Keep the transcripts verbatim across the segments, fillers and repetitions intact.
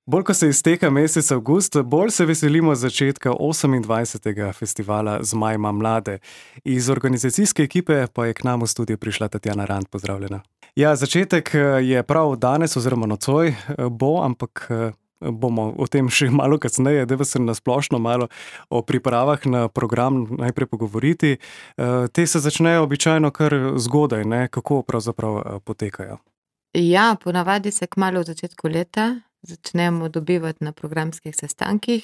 Bolj, ko se izteka mesec avgust, bolj se veselimo začetka osemindvajsetega festivala Zmaj ima mlade. Iz organizacijske ekipe pa je k nam v studio prišla Tatjana Rant. Pozdravljena. Ja, začetek je prav danes oziroma nocoj bo, ampak bomo o tem še malo kasneje, da se na splošno malo o pripravah na program najprej pogovoriti. Te se začnejo običajno kar zgodaj, ne? Kako pravzaprav potekajo? Ja, ponavadi se kmalu v začetku leta začnemo dobivati na programskih sestankih,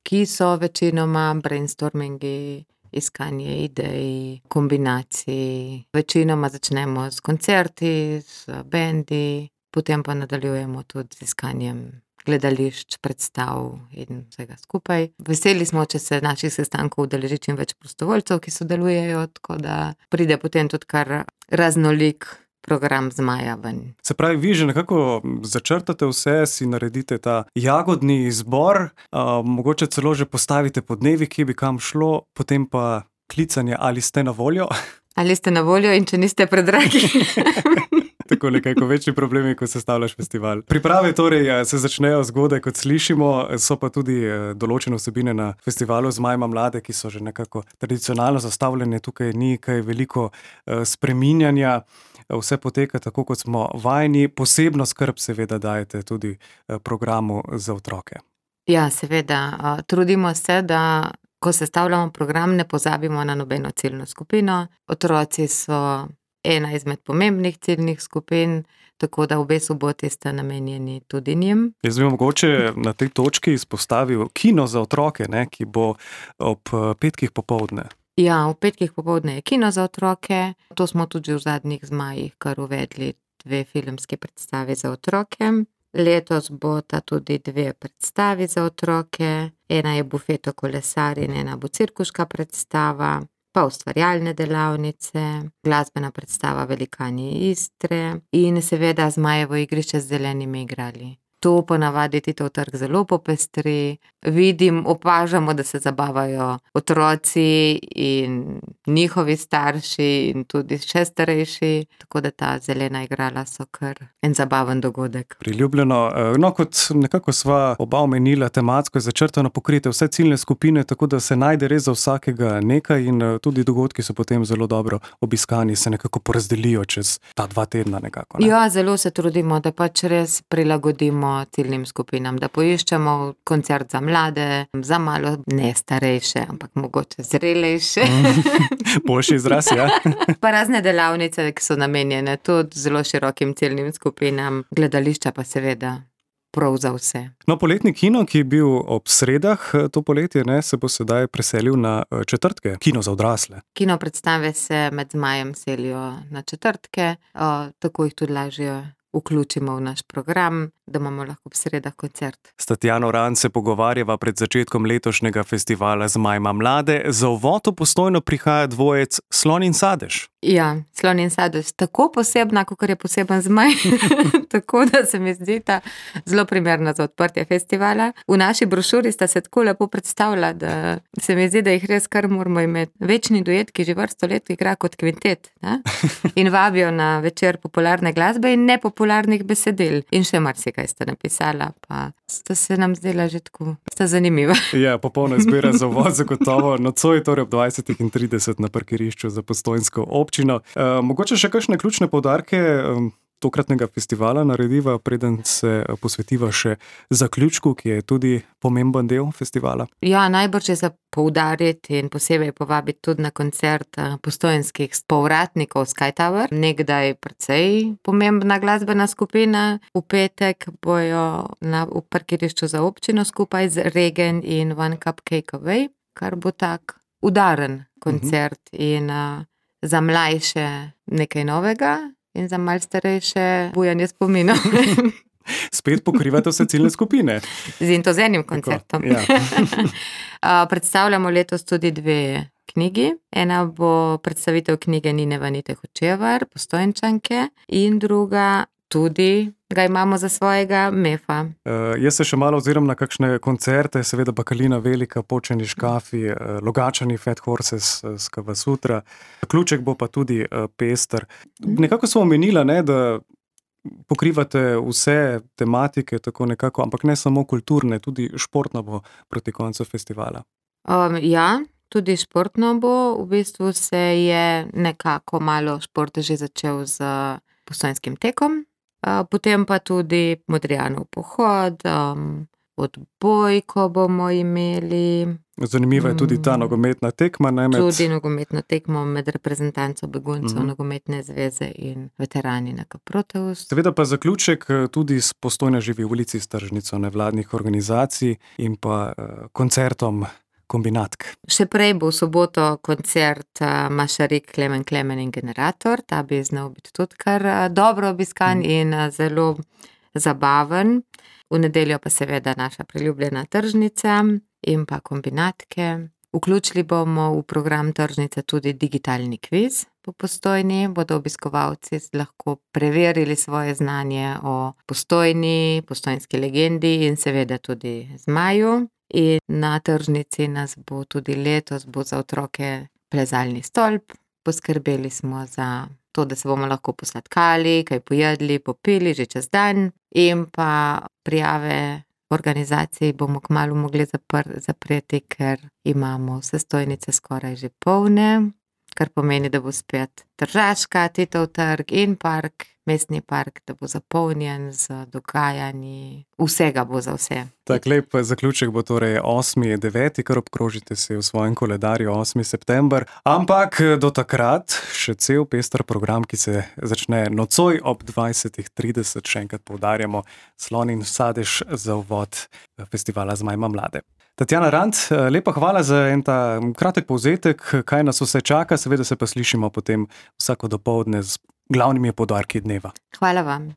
ki so večinoma brainstormingi, iskanje idej, kombinacij. Večinoma začnemo s koncerti, s bendi, potem pa nadaljujemo tudi z iskanjem gledališč, predstav in vsega skupaj. Veseli smo, če se naših sestankov udeleži čim več prostovoljcev, ki sodelujejo, tako da pride potem tudi kar raznolik program Zmaja ven. Se pravi, vi že nekako začrtate vse, si naredite ta jagodni izbor, uh, mogoče celo že postavite po dnevi, kje bi kam šlo, potem pa klicanje, ali ste na voljo? Ali ste na voljo in če niste predragi. Tako nekako večji problemi, ko sestavljaš festival. Priprave torej se začnejo zgodaj, kot slišimo, so pa tudi določene vsebine na festivalu Zmaj ima mlade, ki so že nekako tradicionalno zastavljene, tukaj ni kaj veliko spreminjanja. Vse poteka tako, kot smo vajeni, posebno skrb seveda dajete tudi programu za otroke. Ja, seveda, trudimo se, da ko sestavljamo program, ne pozabimo na nobeno ciljno skupino. Otroci so ena izmed pomembnih ciljnih skupin, tako da obe soboti sta namenjeni tudi njim. Jaz bi mogoče na tej točki izpostavil kino za otroke, ne, ki bo ob petkih popoldne. Ja, v petkih popoldne je kino za otroke. To smo tudi v zadnjih Zmajih kar uvedli dve filmske predstavi za otroke. Letos bosta tudi dve predstavi za otroke. Ena je Bufeto kolesar in ena bo cirkuška predstava, pa ustvarjalne delavnice, glasbena predstava Velikani Istre in seveda Zmajevo igrišče z zelenimi igrali. To ponavadi Titov trg zelo popestri. Vidim, opažamo, da se zabavajo otroci in njihovi starši in tudi še starejši, tako da ta zelena igrala so kar en zabaven dogodek. Priljubljeno. No, kot nekako sva oba omenila, tematsko je začrtano pokrite vse ciljne skupine, tako da se najde res za vsakega nekaj in tudi dogodki so potem zelo dobro obiskani, se nekako porazdelijo čez ta dva tedna nekako. Ne? Ja, zelo se trudimo, da pač res prilagodimo ciljnim skupinam, da poiščemo koncert za mlade, za malo ne starejše, ampak mogoče zrelejše. Boljši izraz, ja. Pa razne delavnice, ki so namenjene tudi zelo širokim ciljnim skupinam, gledališča pa seveda prav za vse. No, poletni kino, ki je bil ob sredah to poletje, ne, se bo sedaj preselil na četrtke, kino za odrasle. Kino predstave se med Zmajem selijo na četrtke, o, tako jih tudi lažje vključimo v naš program, da imamo lahko ob sredah koncert. S Tatjano Rant se pogovarjava pred začetkom letošnjega festivala Zmaj ima mlade. Za uvod v Postojno prihaja dvojec Slon in sadež. Ja, Slon in sadež, tako posebna, kakor je poseben Zmaj. Tako da se mi zdi ta zelo primerna za odprtje festivala. V naši brošuri sta se tako lepo predstavila, da se mi zdi, da jih res kar moramo imeti. Večni duet, ki že vrsto let igra kot kvintet, ne? In vabijo na večer popularne glasbe in nepopularnih besedil. In še marsikaj sta napisala, pa sta se nam zdela že tako, sta zanimiva. Ja, popolna izbira za uvod zagotovo. Nocoj torej ob dvajsetih in trideset na parkirišču za postojnsko občino. E, mogoče še kakšne ključne poudarke tokratnega festivala narediva, preden se posvetiva še zaključku, ki je tudi pomemben del festivala? Ja, najbrž je za poudariti in posebej povabiti tudi na koncert postojnskih povratnikov Sky Tower. Nekdaj precej pomembna glasbena skupina. V petek bojo na, v parkirišču za občino skupaj z Regen in One Cupcake Away, kar bo tak udaren koncert uh-huh. in uh, za mlajše nekaj novega. In za malo starejše bujanje spominov. Spet pokrivate vse ciljne skupine. Z in to z enim koncertom. Ja. Predstavljamo letos tudi dve knjigi. Ena bo predstavitev knjige Nine Vanite Hočevar, Postojnčanke, in druga tudi ga imamo za svojega Mefa. Uh, jaz se še malo oziram na kakšne koncerte, seveda Bakalina Velika, Počeni škafi, uh, Logačani, Fat Horses, uh, Skava Sutra. Ključek bo pa tudi uh, pester. Nekako smo omenila, ne, da pokrivate vse tematike, tako nekako, ampak ne samo kulturne, tudi športno bo proti koncu festivala. Um, ja, tudi športno bo. V bistvu se je nekako malo šport že začel z Postojnskim tekom, uh, potem pa tudi Modrijanov pohod, um, odbojko bomo imeli. Zanimiva je tudi ta nogometna tekma. Ne, med... Tudi nogometna tekma med reprezentanco beguncev Mhm. nogometne zveze in veterani N K Proteus. Seveda pa zaključek tudi s Postojna živi v ulici s tržnico nevladnih organizacij in pa uh, koncertom Kombinatk. Še prej bo v soboto koncert uh, Mašarik, Klemen Klemen in Generator. Ta bi znal biti tudi kar uh, dobro obiskan Mhm. in uh, zelo zabaven. V nedeljo pa seveda naša priljubljena tržnica in pa Kombinatke. Vključili bomo v program tržnice tudi digitalni kviz po Postojni. Bodo obiskovalci lahko preverili svoje znanje o Postojni, postojnski legendi in seveda tudi zmaju. In na tržnici nas bo tudi letos bo za otroke plezalni stolp. Poskrbeli smo za to, da se bomo lahko posladkali, kaj pojedli, popili že čez dan. In pa prijave organizacij bomo kmalu mogli zapr- zapreti, ker imamo vse stojnice skoraj že polne, kar pomeni, da bo spet Tržaška, Titov trg in park, mestni park, da bo zapolnjen z dogajanji. Vsega bo za vse. Tak lep zaključek bo torej osmi deveti, kar obkrožite si v svojem koledarju osmi september. Ampak do takrat še cel pester program, ki se začne nocoj ob dvajsetih trideset, še enkrat poudarjamo, Slon in sadež za uvod festivala Zmaj ima mlade. Tatjana Rant, lepa hvala za en ta kratek povzetek, kaj nas vse čaka, seveda se pa slišimo potem vsako dopoldne z glavnimi poudarki dneva. Hvala vam.